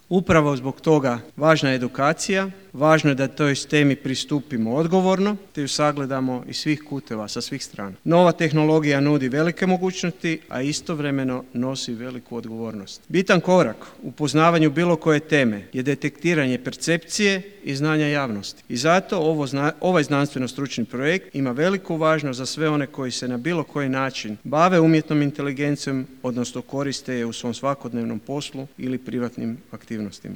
Upravo zbog toga važna je edukacija, važno je da toj temi pristupimo odgovorno te ju sagledamo iz svih kuteva, sa svih strana. Nova tehnologija nudi velike mogućnosti, a istovremeno nosi veliku odgovornost. Bitan korak u poznavanju bilo koje teme je detektiranje percepcije i znanja javnosti. I zato ovaj znanstveno-stručni projekt ima veliku važnost za sve one koji se na bilo koji način bave umjetnom inteligencijom, odnosno koriste je u svom svakodnevnom poslu ili privatnim aktivnostima.